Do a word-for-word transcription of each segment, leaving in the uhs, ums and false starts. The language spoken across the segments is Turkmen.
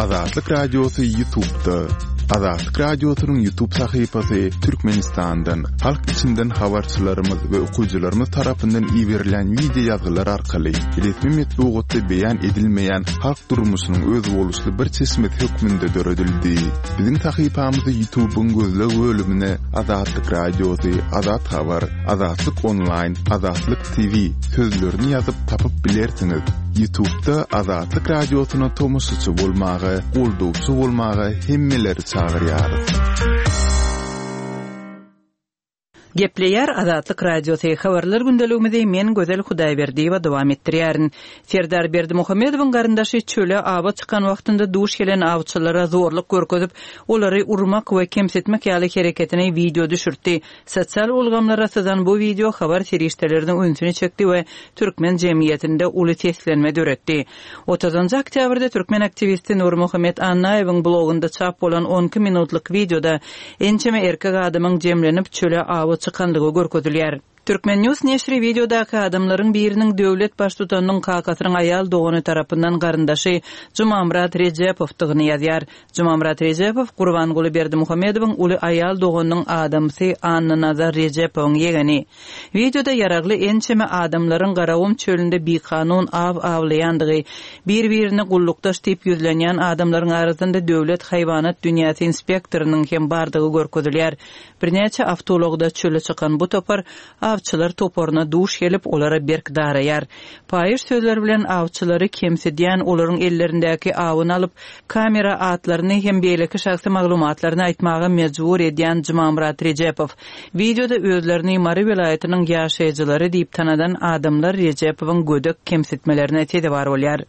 Azatlyk Radiosy YouTube'da. Azatlyk Radiosynyň YouTube sahypasy Türkmenistandan, halk içinden habarçylarymyz we okyjylarymyz tarapyndan iberilen wideo ýazgylar arkaly resmi metbugatda beýan edilmeýän halk durmuşynyň özboluşly bir çeşmesi hökmünde döredildi. Biziň sahypamyzy YouTube'yň gözleg bölümine Azatlyk Radiosy, Azat Habar, Azatlyk Online, Azatlyk T V sözlerini ýazyp tapyp bilersiňiz. YouTube'da Azatlyk Radiosyna tomaşaçy bolmaga, goldawçy bolmaga hemmeleri çagyrýarys. Gepleýär Azatlyk Radiosy. Habarlar gündeligimizi men Gözel Hudaýberdiýewa dowam etdirýärin. Serdar Berdimuhamedowyň garyndaşy çöle awa çykan wagtynda duş gelen awçylara zorluk görkezip, olary urmak we kemsitmek ýaly hereketini wideo düşürtdi. Sosial ulgamlara syzan bu wideo habar serişdeleriniň ünsüni çekdi we türkmen jemgyýetinde uly seslenme döretdi. Otuzynjy oktýabrda türkmen aktiwisti Nurmuhammet Annaýewiň blogunda çap bolan on iki minutlyk wideoda ençeme erkek adamyň jemlenip çöle awa çykanlygy görkezilýär. Türkmen News neşri wideodaky adamlaryň biriniň döwlet baştutanynyň kakasynyň aýal dogany tarapyndan garyndaşy Jumamyrat Rejepowdygyny ýazýar. Jumamyrat Rejepow Gurbanguly Berdimuhamedowyň uly aýal doganynyň adamsy Annanazar Rejepowyň ýegeni. Wideoda ýaragly ençeme adamlaryň Garagum çölünde bikanun aw awlaýandygy, bir-birine gullukdaş diýip ýüzlenýän adamlaryň arasynda döwlet haýwanat dünýäsi inspektorynyň hem bardygy görkezilýär. Birnäçe awtoulagda çöle çykan bu topar awçylar toparyna duş gelip, olara berk daraýar. Paýyş sözler bilen awçylary kemsidýän olaryň ellerindäki awyny alyp, kamera atlaryny hem beýleki şahsy maglumatlaryny aýtmaga mejbur edýän Jumamyrat Rejepow. Wideoda özlerini Mary welaýatynyň ýaşaýjylary diýip tanadan adamlar Rejepowyň gödek kemsitmelerine sezewar bolýar.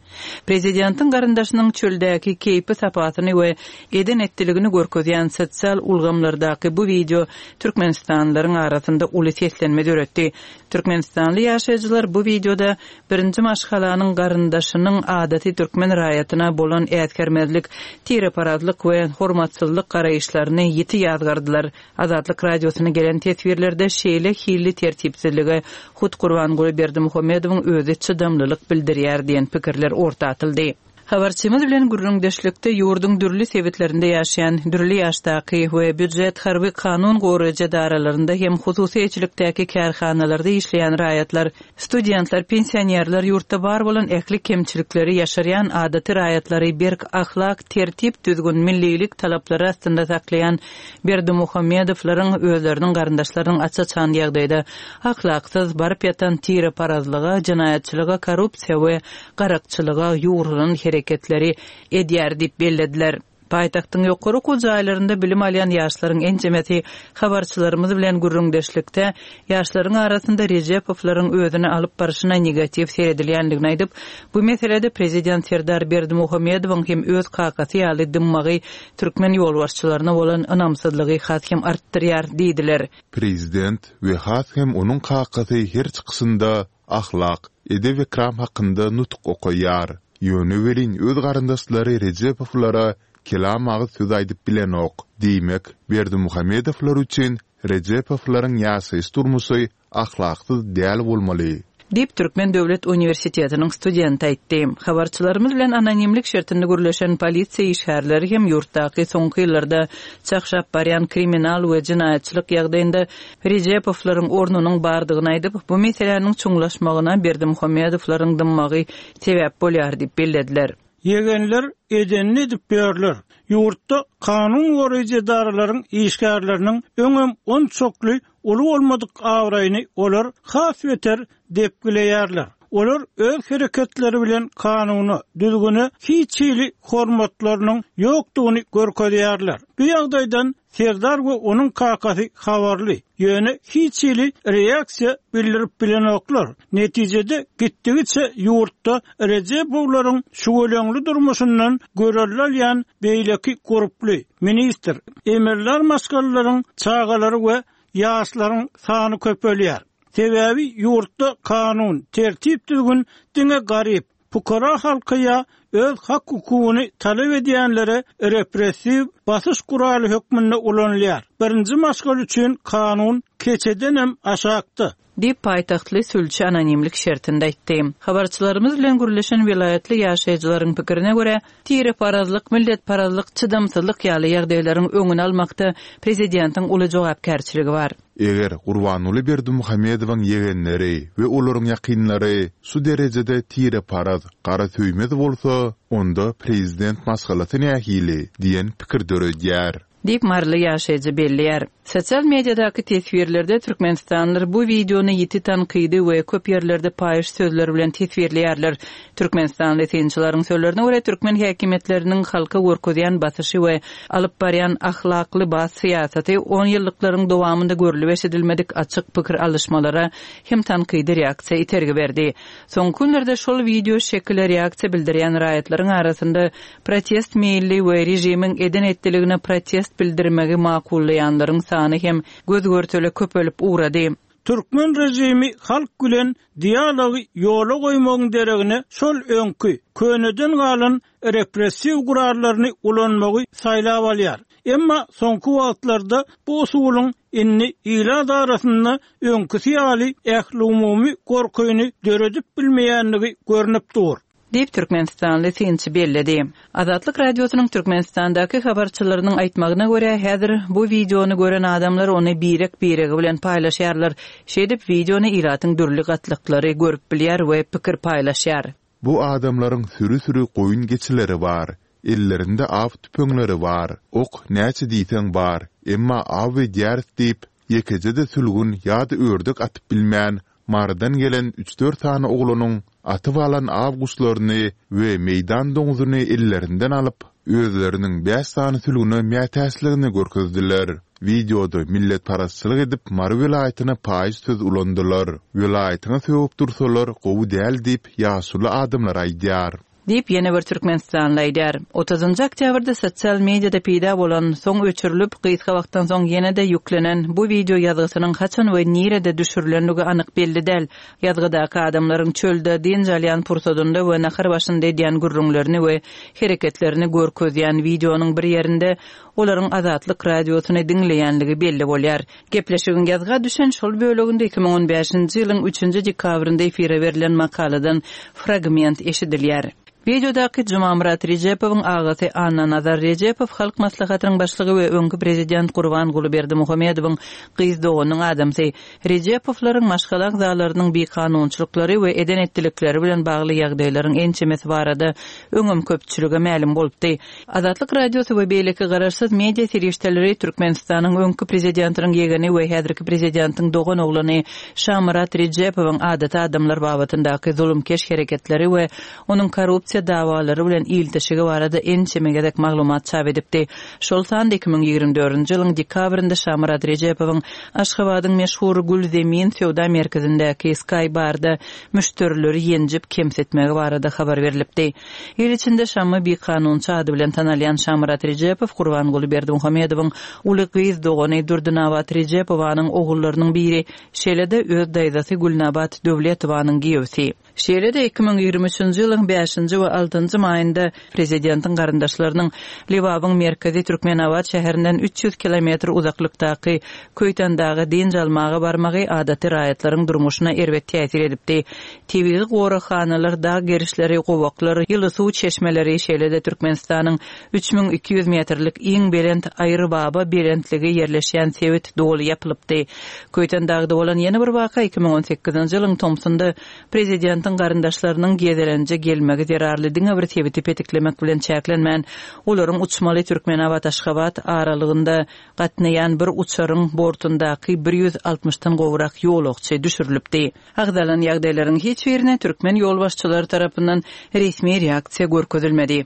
Prezidentiň garyndaşynyň çöldäki keýpi sapasyny we eden etdiligini görkezýän sosial ulgamlardaky bu wideo Türkmenistanlylaryň arasynda uly seslenme döretdi. Türkmenistanly ýaşaýjylar bu wideoda birinji maşgalanyň garyndaşynyň adaty türkmen raýatyna bolan äsgermezlik, tireparazlyk we hormatsyzlyk garaýyşlaryny ýiti ýazgardylar. Azatlyk Radiosyna gelen teswirlerde şeýle hilli tertipsizlige hut Gurbanguly Berdimuhamedowyň özi çydamlylyk bildirýär diýen pikirler orta atyldy. Habarçymyz bilen gürrüňdeşlikde ýurduň dürli sebitlerinde ýaşaýan dürli ýaşdaky we býujet harby kanun goraýjy edaralarynda hem hususy eýeçilikdäki kärhanalarda işleýän raýatlar, studentler, pensionerler ýurtda bar bolan ähli kemçilikleri ýaşarýan adaty raýatlary berk ahlak, tertip, düzgün, millilik talaplary astynda saklaýan Berdimuhamedowlaryň özleriniň garyndaşlarynyň aç-açan ýagdaýda ahlaksyz baryp ýatan tireparazlyga, jenaýatçylyga, korrupsiýa we garakçylyga ýugrulan hereketleri edýär diýip bellediler. Paýtagtyň ýokary okuw jaýlarynda bilim alýan ýaşlaryň ençemesi habarçylarymyz bilen gürrüňdeşlikde ýaşlaryň arasynda Rejepowlaryň özüni alyp barşyna negatiw seredilýändigini aýdyp, bu meselede prezident Serdar Berdimuhamedowyň hem öz kakasy ýaly dymmagy türkmen ýolbaşçylaryna bolan ynamsyzlygy has hem artdyrýar diýdiler. Prezident we has hem onuň kakasy her çykyşynda ahlak, edep ekram hakynda nutuk okaýar. Ýöne welin öz garyndaşlary Rejepowlara kelam agyz söz aýdyp bilenok. Diýmek, Berdimuhamedowlar üçin Rejepowlaryň ýaşaýyş durmuşy ahlaksyz däl bolmaly. Diýip Türkmen Döwlet Uniwersitetiniň studenti aýtdy. Habarçylarymyz bilen anonimlik şertinde gürleşen polisiýa işgärleri hem ýurtdaky soňky ýyllarda çakşap barýan kriminal we jenaýatçylyk ýagdaýynda Rejepowlaryň ornunyň bardygyny aýdyp, bu meseläniň çuňlaşmagyna Berdimuhamedowlaryň dymmagy sebäp bolýar diýip bellediler. Ýegenler edenini edip berler. Ýurtda kanun goraýjy edaralaryň işgärleriniň öňem on çokly uly bolmadyk awraýyny olar has beter depgileýärler. Olar öz hereketleri bilen kanuna, düzgüne hiç hili hormatlarynyň ýokdugyny görkezýärler. Bu ýagdaýdan Serdar we onuň kakasy habarly, ýöne hiç hili reaksiýa bildirip bilenoklar. Netijede gitdigiçe ýurtda Rejepowlaryň şüweleňli durmuşyndan görelde alýan beýleki gruply ministr, emirler maşgalalaryň çagalary we ýaşlaryň sany köpelýär. Sebäbi ýurtda kanun, tertip düzgün diňe garyp, pukara halka ýa öz hak hukugyny talap edýänlere repressiw basyş guraly hökmünde ulanylýar. Birinji maşgal üçin kanun keçedenem aşakda. Diýip, paýtagtly sülçi anonimlik şertinde aýtdy. Habarçylarymyz bilen gürleşen welaýatly ýaşaýjylaryň pikirine görä, tireparazlyk, milletparazlyk, çydamsyzlyk ýaly ýagdaýlaryň öňüni almakda prezidentiň uly jogapkärçiligi bar. Eger Gurbanguly Berdimuhamedowyň ýegenleri we olaryň ýakynlary şu derejede tireparaz, garasöýmez bolsa, onda prezident maşgalasy nähili diýen pikir döredýär. Diýip, maryly ýaşaýjy belleýär. Sosial mediadaky teswirlerde türkmenistanlylar bu wideony ýiti tankydy we köp ýerlerde paýyş sözler bilen teswirleýärler. Türkmenistanly synçylaryň sözlerine görä, türkmen häkimiýetleriniň halka görkezýän basyşy we alyp barýan ahlakly-bas syýasaty onýyllyklaryň dowamynda görlüp-eşidilmedik açyk pikir alyşmalara hem tankydy reaksiýa itergi berdi. Soňky günlerde şol wideo şekile reaksiýa bildirýän raýatlaryň arasynda protest meýilli we režimiň eden-etdiligine protest bildirmegi makullaýanlaryň sany hem göz-görtele köpelip ugrady. Türkmen režimi halk bilen dialogy ýola goýmagyň deregine şol öňki, köneden galan repressiw gurallaryny ulanmagy saýlap alýar. Emma soňky wagtlarda bu usulyň indi ilat arasynda öňküsi ýaly ählumumy gorkyny döredip bilmeýändigi görnüp dur. Diýip, türkmenistanly synçy belledi. Azatlyk Radiosynyň Türkmenistandaky habarçylarynyň aýtmagyna görä, häzir bu wideony gören adamlar ony birek-biregi bilen paýlaşýarlar. Şeýdip, wideony ilatyň dürli gatlaklary görüp bilýär we pikir paýlaşýar. Bu adamlaryň süri-süri goýun-geçileri bar. Ellerinde aw tüpeňleri bar. Ok näçe diýseň bar, emma aw edýäris diýip, ýekeje-de sülgün ýa-da ördek atyp bilmän, Marydan gelen üç-dört sany oglanyň atyp alan aw guşlaryny we meýdan doňzuny ellerinden alyp, özleriniň bäş sany sülgüne mätäçligini görkezdiler. Wideoda milletparazçylyk edip Mary welaýatyna paýyş söz ulandylar. Welaýatyňa sögüp dursalar gowy däl diýip ýaşuly adamlar aýdýar. Diýip, ýene bir türkmenistanly aýdýar. Otuzynjy oktýabrda sosial mediada peýda bolan, soň öçürilip, gysga wagtdan soň ýene-de ýüklenen bu wideo ýazgysynyň haçan we nirede düşürilendigi anyk belli däl. Ýazgydaky adamlaryň çölde dynç alýan pursadynda we nahar başynda edýän gürrüňlerini we hereketlerini görkezýän wideonyň bir ýerinde olaryň Azatlyk Radiosyny diňleýänligi belli bolýar. Gepleşigiň ýazga düşen şol böleginde iki müň on bäşinji ýylyň üçünji dekabrynda efire berlen makaladan fragment eşidilýär. Wideodaky Jumamyrat Rejepowyň agasy Annanazar Rejepow Halk Maslahatynyň başlygy we öňki prezident Gurbanguly Berdimuhamedowyň gyz doganynyň adamsy. Rejepowlaryň maşgala agzalarynyň bikanunçylyklary we eden-etdilikleri bilen bagly ýagdaýlaryň ençemesi barada öňem köpçülige mälim bolupdy. Azatlyk Radiosy we beýleki garaşsyz media serişdeleri Türkmenistanyň öňki prezidentiniň ýegeni we häzirki prezidentiň doganoglany Şamyrat Rejepowyň adaty adamlar babatyndaky zulumkeş hereketleri we onuň korrupsiýa dawalary bilen ilteşigi barada ençeme gezek maglumat çap edipdi. Şol sanda iki müň ýigrimi dördünji ýylyň dekabrynda Şamyrat Rejepowyň Aşgabadyň meşhur Gül Zemin söwda merkezindäki Sky Barda müşderileri ýenjip kemsitmegi barada habar berlipdi. Il içinde Şammy bikanunçy ady bilen tanalýan Şamyrat Rejepow Gurbanguly Berdimuhamedowyň uly gyz dogany Durdynabat Rejepowanyň ogullarynyň biri, şeýle-de öz daýzasy Gülnabat Döwletowanyň giýewsi. Şeýle-de iki müň ýigrimi üçünji ýylyň bäşinji we altynjy maýynda prezidentiň garyndaşlarynyň Lebabyň merkezi Türkmenabat şäherinden üç ýüz kilometr uzaklykdaky Köýtendaga dynç almaga barmagy adaty raýatlaryň durmuşyna erbet täsir edipdi. Tebigy goraghanalar, dag gerişleri, gowaklar, ýyly suw çeşmeleri, şeýle-de Türkmenistanyň üç müň iki ýüz metrlik iň belent Aýrybaba belentligi ýerleşýän sebit doly ýapylypdy. Köýtendagda bolan ýene bir waka iki müň on sekizinji ýylyň tomsunda prezidentiň garyndaşlarynyň gezelenje gelmegi zerarly diňe bir sebiti petiklemek bilen çäklenmän, olaryň uçmaly Türkmenabat-Aşgabat aralygynda gatnaýan bir uçaryň bortundaky bir ýüz altmyşdan gowrak ýolagçy düşürilipdi. Agzalan ýagdaýlaryň hiç birine türkmen ýolbaşçylary tarapyndan resmi reaksiýa görkezilmedi.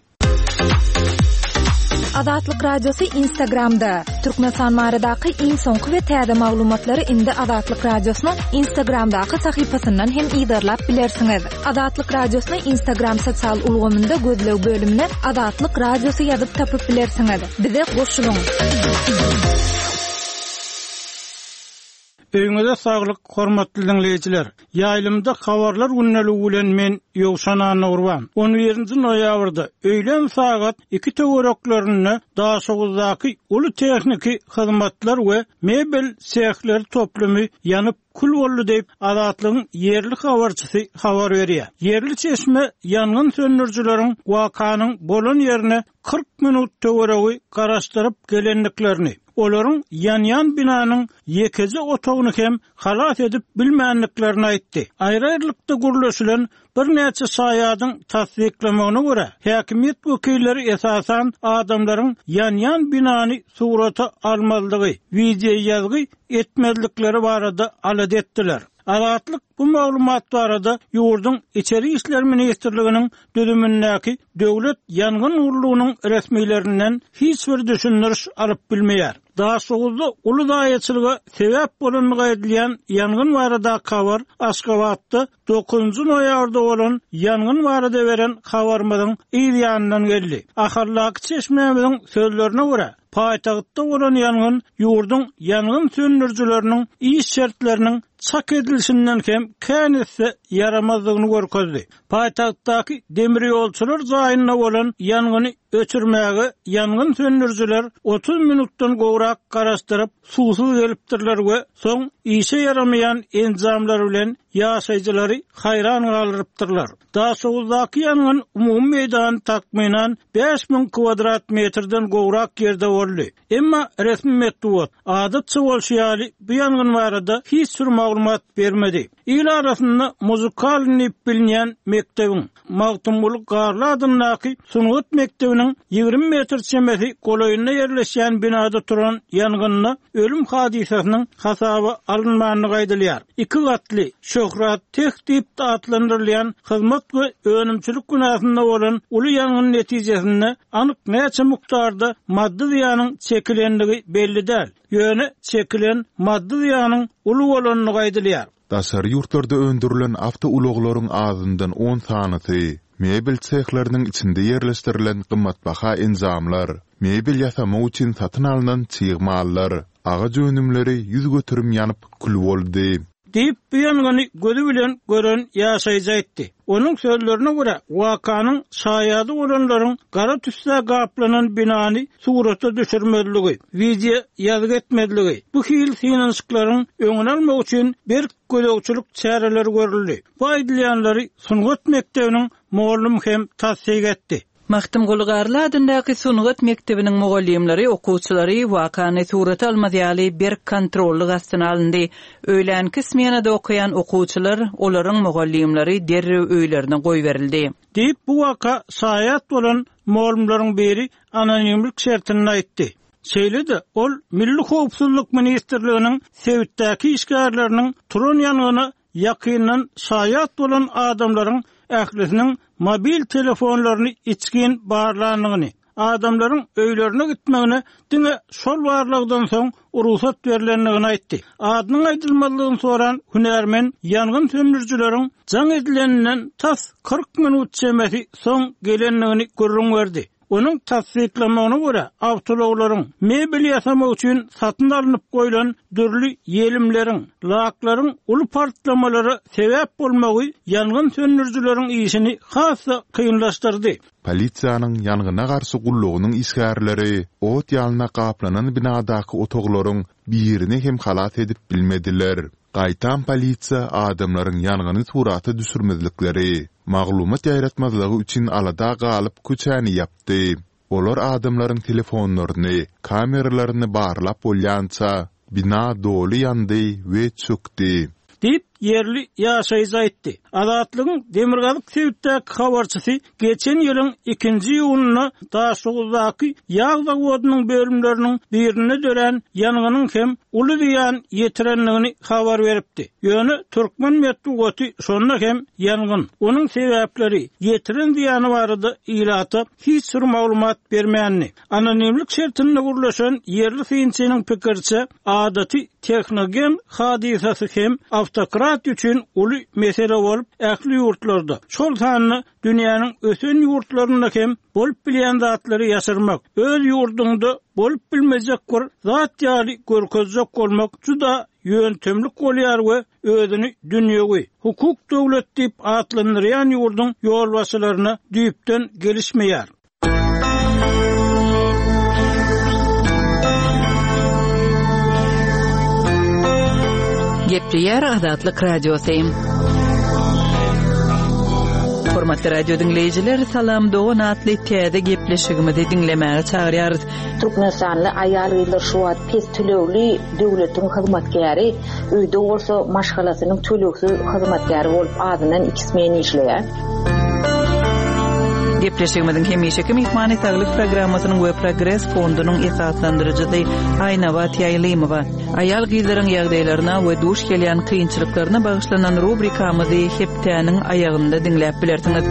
Azatlyk Radiosy Instagramda. Türkmenistan baradaky iň soňky we täze maglumatlary indi Azatlyk Radiosynyň Instagramdaky sahypasyndan hem yzarlap bilersiňiz. Azatlyk Radiosyny Instagram sosial ulgamynda gözleg bölümine Azatlyk Radiosy ýazyp tapyp bilersiňiz. Bize goşulyň. Öýüňize saglyk, hormatly diňleýjiler. Ýaýlymda habarlar gündeligi bilen men Ýowşan Annagurban. On birinji noýabrda öýlän sagat iki töwereklerinde Daşoguzdaky uly tehniki hyzmatlar we mebel sehleri toplumy ýanyp kül boldy diýip, Azatlygyň ýerli habarçysy habar berýär. Ýerli çeşme ýangyn söndürijileriň wakanyň bolan ýerine kyrk minut töweregi garaşdyryp gelendiklerini, olaryň ýanýan binanyň ýekeje otagyny hem halas edip bilmändiklerini aýtdy. Aýry-aýrylykda gürleşilen birnäçe şaýadyň tassyklamagyna görä, häkimiýet wekilleri esasan adamlaryň ýanýan binany surata almazlygy, wideo ýazgy etmezlikleri barada alada etdiler. Azatlyk bu maglumat barada ýurduň Içeri işler ministrliginiň düzümindäki Döwlet ýangyn gullugynyň resmilerinden hiç bir düşündiriş alyp bilmeýär. Daşoguzda uly zaýaçylyga sebäp bolandygy aýdylýan ýangyn baradaky habar Aşgabatda dokuzynjy noýabrda bolan ýangyn barada beren habarymyzyň yz ýanyndan geldi. Ahaldaky çeşmämiziň sözlerine görä, paýtagtda bolan ýangyn ýurduň ýangyn söndürijileriniň iş şertleriniň çak edilişinden hem kän esse ýaramazdygyny görkezdi. Paýtagtdaky demir ýolçular jaýynda bolan ýangyny öçürmäge ýangyn söndürijiler otuz minutdan gowrak garaşdyryp, suwsuz gelipdirler we soň işe ýaramaýan enjamlar bilen ýaşaýjylary haýran galdyrypdyrlar. Daşoguzdaky ýangyn umumy meýdany takmynan bäş müň kvadrat metrden gowrak ýerde boldy. Emma resmi metbugat adatça bolşy ýaly bu ýangyn barada hiç bir maglumat bermedi. Il arasynda muzykal diýip bilinýän mekdebiň Magtymguly Garly adyndaky sungat mekdebiniň ýigrimi metr çemesi golaýynda ýerleşýän binada turan ýangynda ölüm hadysasynyň hasaba alynmandygy aýdylýar. Iki gatly Şöhrat Teh diýip atlandyrylýan hyzmat we önümçilik binasynda bolan uly ýangyn netijesinde anyk näçe mukdarda maddy zyýanyň çekilendigi belli däl. Ýöne çekilen maddy zyýanyň uly bolandygy aýdylýar. Daşary ýurtlarda öndürilen awtoulaglaryň azyndan on sanysy, mebel sehleriniň içinde ýerleşdirilen gymmatbaha enjamlar, mebel ýasamak üçin satyn alnan çig mallar, agaç önümleri ýüz göterim ýanyp kül boldy. Diýip, bu ýangyny gözi bilen gören ýaşaýjy aýtdy. Onuň sözlerine görä, wakanyň şaýady bolanlaryň gara tüssä gaplanan binany surata düşürmezligi, wideo ýazgy etmezligi, bu hil synanyşyklaryň öňüni almak üçin berk gözegçilik çäreleri görüldi. Bu aýdylýanlary sungat mekdebiniň mugallym hem tassyk etdi. Magtymguly Garly adyndaky sungat mekdebiniň mugallymlary okuwçylary wakany surata almaz ýaly berk kontrollyk astyna alyndy. Öýlänki smenada okaýan okuwçylar, olaryň mugallymlary derrew öýlerine goýberildi. Diýip, bu waka şaýat bolan mugallymlaryň biri anonimlik şertinde aýtdy. Şeýle-de ol Milli Howpsuzlyk Ministrliginiň sebitdäki işgärleriniň turan ýangyna ýakyndan şaýat bolan adamlaryň ählisiniň mobil telefonlaryny içgin barlandygyny, adamlaryň öýlerine gitmegine diňe şol barlagdan soň rugsat berlendigini aýtdy. Adynyň aýdylmazlygyny soran hünärmen ýangyn söndürijileriň jaň edileninden tas kyrk minut çemesi soň gelendigini gürrüň berdi. Onuň tassyklamagyna görä, awtoulaglaryň mebel ýasamak üçin satyn alnyp goýlan dürli ýelimleriň, laklaryň uly partlamalara sebäp bolmagy ýangyn söndürijileriň işini has-da kynlaşdyrdy. Polisiýanyň ýangyna garşy gullugynyň işgärleri ot ýalyna gaplanan binadaky otaglaryň birini hem halas edip bilmediler. Gaýtam polisiýa adamlaryň ýangyny surata düşürmezlikleri, maglumat ýaýratmazlygy üçin alada galyp köçäni ýapdy. Olar adamlaryň telefonlaryny, kameralaryny barlap bolýança bina doly ýandy we çökdi. Diýip, ýerli ýaşaýjy aýtdy. Azatlygyň Demirgazyk sebitdäki habarçysy geçen ýylyň ikinji iýunynda Daşoguzdaky ýag zawodynyň bölümleriniň birinde dörän ýangynyň hem uly zyýan ýetirendigini habar beripdi. Ýöne türkmen metbugaty şonda hem ýangyn, onuň sebäpleri, ýetiren zyýany barada ilata hiç bir maglumat bermändi. Anonimlik şertinde gürleşen ýerli synçynyň pikiriçe, adaty tehnogen hadysasy hem awtokrat üçin uly mesele bolup, ähli ýurtlarda, şol sanda dünýäniň ösen ýurtlarynda hem bolup bilýän zatlary ýaşyrmak, öz ýurduňda bolup bilmejek bir zat ýaly görkezjek bolmak juda ýöntemlik bolýar we özüni dünýewi, hukuk döwlet diýip atlandyrýan ýurduň ýolbaşçylaryna düýpden gelişmeýär. Gepleýär Azatlyk Radiosy. Hormatly radio diňleýjiler, Salam dogan atly täze gepleşigimizi diňlemäge çagyrýarys. Türkmenistanly aýal-gyzlar şu wagt pes tölegli döwletiň hyzmatkäri, öýde bolsa maşgalasynyň tölegsiz hyzmatkäri bolup azyndan iki smen işleýär. Gepleşigimiziň hemişeki myhmany Saglyk programmasynyň we Progres fondunyň esaslandyryjysy Aýnabat Ýaýlymowa. Aýal-gyzlaryň ýagdaýlaryna we duş gelýän kynçylyklaryna bagyşlanan rubrikamyzy hepdäniň aýagynda diňläp bilersiňiz.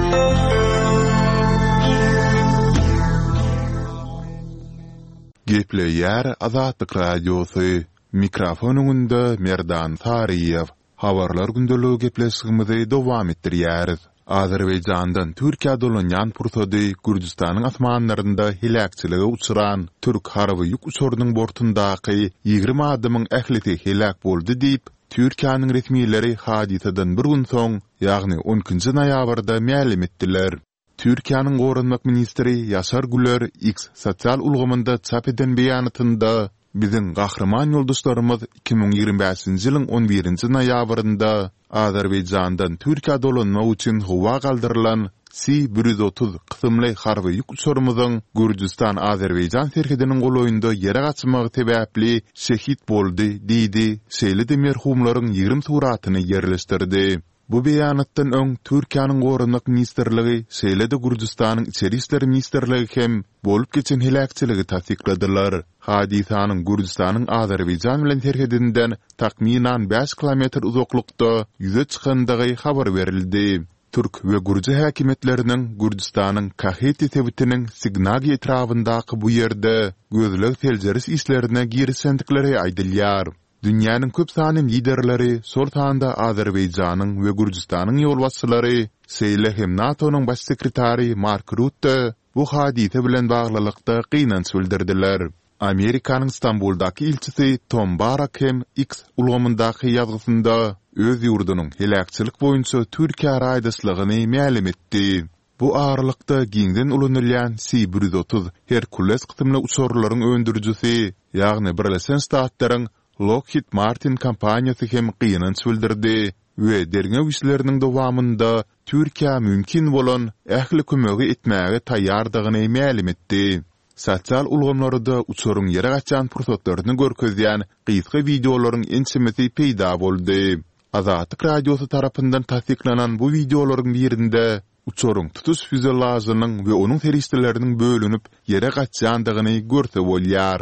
Gepleýär Azatlyk Radiosy. Mikrofon öňünde Merdan Saryýew. Habarlar gündeligi gepleşigimizi dowam etdirýäris. Azerbaýjandan Türkiýä dolanýan pursady Gürjüstanyň asmanlarynda heläkçilige uçran türk harby ýük uçarynyň bortundaky ýigrimi adamyň ählisi heläk boldy diýip, Türkiýäniň resmileri hadysadan bir gün soň, ýagny on ikinji noýabrda mälim etdiler. Türkiýäniň goranmak ministri Ýaşar Güler X sosial ulgamynda çap eden beýanatynda biziň gahryman ýoldaşlarymyz iki müň ýigrimi bäşinji ýylyň on birinji noýabrynda Azerbaýjandan Türkiýä dolanmak üçin howa galdyrylan C bir ýüz otuz kysymly harby ýük uçarymyzyň Gürjüstan-Azerbaýjan serhediniň golaýynda ýere gaçmagy sebäpli şehit boldy diýdi, şeýle-de merhumlaryň ýigrimi suratyny ýerleşdirdi. Bu beýanatdan öň Türkiýäniň Goranmak ministrligi, şeýle-de Gürjüstanyň Içeri işler ministrligi hem bolup geçen heläkçiligi tassykladylar. Hadysanyň Gürjüstanyň Azerbaýjan bilen serhedinden takmynan bäş kilometr uzaklykda ýüze çykandygy habar berildi. Türk we gürji häkimiýetleriniň Gürjüstanyň Kaheti sebitiniň Signagi etrabyndaky bu ýerde gözleg-seljeriş işlerine girişendikleri aýdylýar. Dünýäniň köp sanly liderleri, şol sanda Azerbaýjanyň we Gürjüstanyň ýolbaşçylary, şeýle hem NATO-nyň baş sekretary Mark Rutte bu hadysa bilen baglylykda gynanç bildirdiler. Amerikanyň Stambuldaky ilçisi Tom Barak hem X ulgamyndaky ýazgysynda öz ýurdunyň heläkçilik boýunça Türkiýä raýdaşlygyny mälim etdi. Bu aralykda giňden ulanylýan C bir ýüz otuz Herkules kysymly uçarlaryň öndürijisi, ýagny Birleşen Ştatlaryň Lockheed Martin kompaniýasy hem gynanç bildirdi we derňew işleriniň dowamynda Türkiýä mümkin bolan ähli kömegi etmäge taýýardygyny mälim etdi. Sosial ulgamlarda uçaryň ýere gaçýan pursatlaryny görkezýän gysga wideolaryň ençemesi peýda boldy. Azatlyk Radiosy tarapyndan tassyklanan bu wideolaryň birinde uçaryň tutuş füzelažynyň we onuň serişdeleriniň bölünip ýere gaçýandygyny görse bolýar.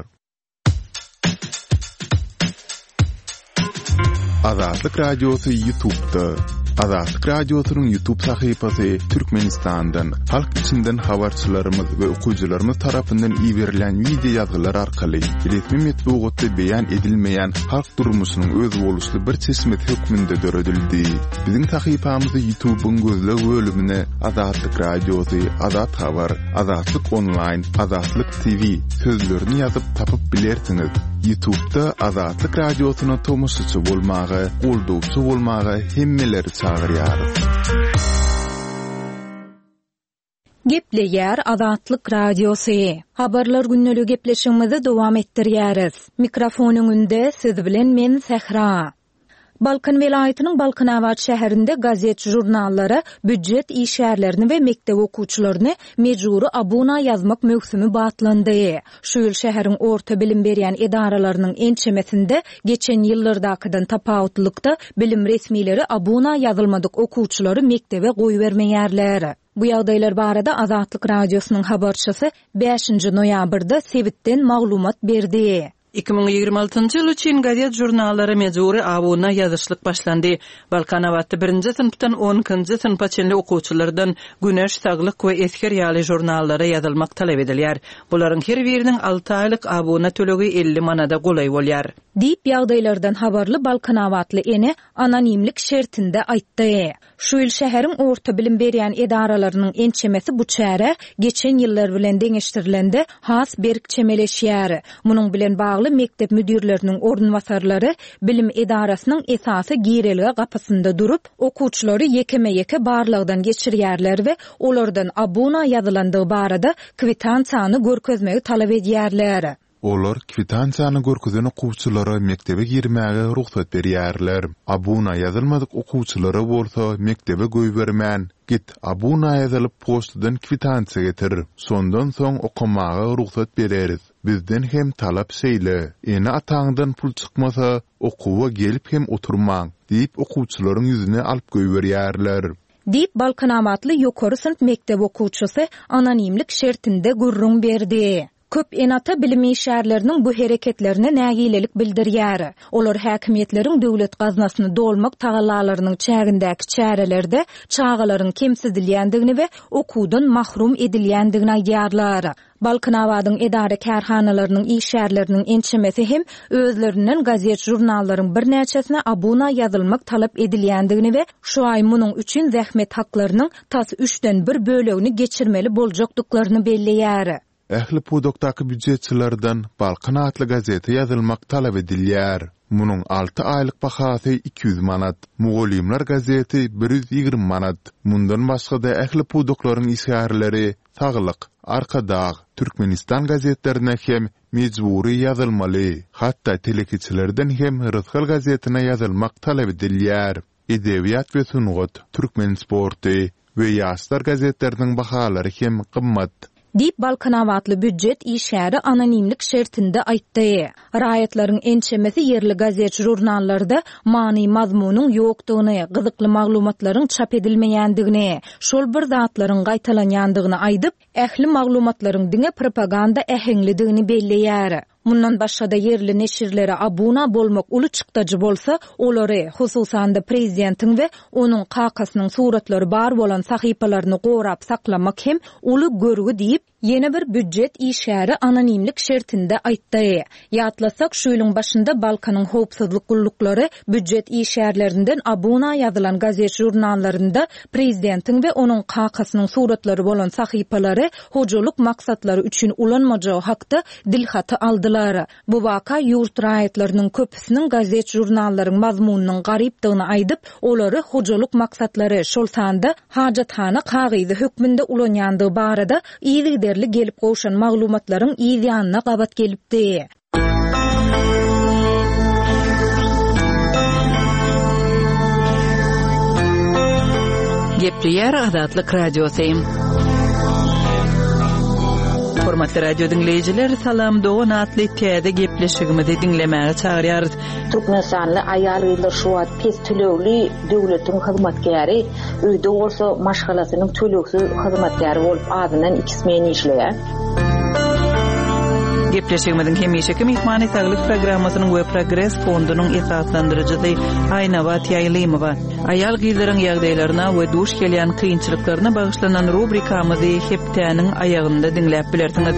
Azatlyk Radiosy YouTube'da. Azatlyk Radiosynyň YouTube sahypasy Türkmenistandan, halk içinden habarçylarymyz we okyjylarymyz tarapyndan iberilen wideo ýazgylar arkaly resmi metbugatda beýan edilmeýän halk durmuşynyň özboluşly bir çeşmesi hökmünde döredildi. Biziň sahypamyzy YouTube'yň gözleg bölümine Azatlyk Radiosy, Azat Habar, Azatlyk Online, Azatlyk T V sözlerini ýazyp tapyp bilersiňiz. YouTube'da Azatlyk Radiosyna tomaşaçy bolmaga, goldawçy bolmaga hemmeleri çagyrýarys. Gepleýär Azatlyk Radiosy. Habarlar günlügi gepleşigimizi dowam etdirýäris. Mikrofon öňünde siz bilen men Sähra. Balkan welaýatynyň Balkanabat şäherinde gazet jurnallara býujet işgärlerini we mekdep okuwçylaryny mejbury abuna ýazmak möwsümi batlandy. Şu ýyl şäheriň orta bilim berýän edaralarynyň ençemesinde geçen ýyllardakydan tapawutlykda bilim resmileri abuna ýazylmadyk okuwçylary mekdebe goýbermeýärler. Bu ýagdaýlar barada Azatlyk Radiosynyň habarçysy bäşinji noýabrda sebitden maglumat berdi. Iki müň ýigrimi altynjy ýyl üçin gazet jurnallara mejbury abuna ýazyşlyk başlandy. Balkanabatda birinji synpdan on ikinji synpa çenli okuwçylardan Güneş, Saglyk we Esger ýaly jurnallara ýazylmak talap edilýär. Bularyň her biriniň alty aýlyk abuna tölegi elli manada golaý bolýar. Diýip ýagdaýlardan habarly Balkanabatly ene anonimlik şertinde aýtdy. Şu ýyl şäheriň orta bilim berýän edaralarynyň ençemesi bu çäre geçen ýyllar bilen deňeşdirilende has berk çemeleşýär. Munuň bilen bagly mekdep müdirleriniň orunbasarlary bilim edarasynyň esasy girelge gapysynda durup, okuwçylary ýekeme-ýeke barlagdan geçirýärler we olardan abuna ýazylandygy barada kwitansiýany görkezmegi talap edýärler. Olar kwitansiýany görkezen okuwçylara mekdebe girmäge rugsat berýärler. Abuna ýazylmadyk okuwçylara bolsa mekdebe goýbermän, git abuna ýazylyp poçtadan kwitansiýa getir. Şondan soň okamaga rugsat bereris. Bizden hem talap şeýle. Ene-ataňdan pul çykmasa, okuwa gelip hem oturmaň diýip okuwçylaryň ýüzüne alyp goýberýärler. Diýip, Balkanabatly ýokary synp mekdep okuwçysy anonimlik şertinde gürrüň berdi. Köp ene-ata bilim işgärleriniň bu hereketlerine nägilelik bildirýär. Olar häkimiýetleriň döwlet gaznasyny dolmak tagallalarynyň çägindäki çärelerde çagalaryň kemsidilýändigini we okuwdan mahrum edilýändigini aýdýarlar. Balkanabadyň edara kärhanalarynyň işgärleriniň ençemesi hem özlerinden gazet žurnallaryň birnäçesine abuna ýazylmak talap edilýändigini we şu aý munuň üçin zähmet haklarynyň tas üçden bir bölegini geçirmeli boljakdyklaryny belleýär. Ähli pudakdaky býujetçilerden Balkan atly gazete ýazylmak talap edilýär. Munuň alty aýlyk bahasy iki ýüz manat. Mugallymlar gazeti bir ýüz ýigrimi manat. Mundan başga-da ähli pudaklaryň işgärleri Saglyk, Arkadag, Türkmenistan gazetlerine hem mejbury ýazylmaly. Hatda telekeçilerden hem Rysgal gazetine ýazylmak talap edilýär. Edebiýat we sungat, Türkmen sporty we Ýaşlar gazetleriniň bahalary hem gymmat. Diýip, Balkanabatly býujet işgäri anonimlik şertinde aýtdy. Raýatlaryň ençemesi ýerli gazet-žurnallarda many-mazmunyň ýokdugyny, gyzykly maglumatlaryň çap edilmeýändigini, şol bir zatlaryň gaýtalanýandygyny aýdyp, ähli maglumatlaryň diňe propaganda äheňlidigini belleýär. Mundan başga-da ýerli neşirlere abuna bolmak uly çykdajy bolsa, olary, hususan-da prezidentiň we onuň kakasynyň suratlary bar bolan sahypalaryny gorap saklamak hem uly görgi diýip, ýene bir býujet işgäri anonimlik şertinde aýtdy. Ýatlasak, şu ýylyň başynda Balkanyň howpsuzlyk gulluklary býujet işgärlerinden abuna ýazylan gazet-žurnallarynda prezidentiň we onuň kakasynyň suratlary bolan sahypalary hojalyk maksatlary üçin ulanmajagy hakda dilhaty aldylar. Bu waka ýurt raýatlarynyň köpüsiniň gazet-žurnallaryň mazmunynyň garypdygyny aýdyp, olary hojalyk maksatlary, şol sanda hajathana kagyzy hökmünde ulanýandygy barada yzygiderli gelip gowşan maglumatlaryň yz ýanyna gabat gelipdi. Gepleýär Azatlyk Radiosy. Hormatly radio diňleýjiler, Salam dogan atly täze gepleşigimizi diňlemäge çagyrýarys. Türkmenistanly aýal-gyzlar şu wagt pes tölegli döwletiň hyzmatkäri, öýde bolsa maşgalasynyň tölegsiz hyzmatkäri bolup azyndan iki smen işleýär. Gepleşigimiziň hemişeki myhmany Saglyk programmasynyň we Progres fondunyň esaslandyryjysy Aýnabat Ýaýlymowa. Aýal-gyzlaryň ýagdaýlaryna we duş gelýän kynçylyklaryna bagyşlanan rubrikamyzy hepdäniň aýagynda diňläp bilersiňiz.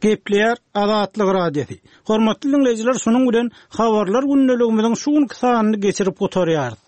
Gepleýär Azatlyk Radiosy. Hormatly dinleýjiler, şunuň bilen habarlar gündeligimiziň şu günki sanyny geçirip gutarýarys.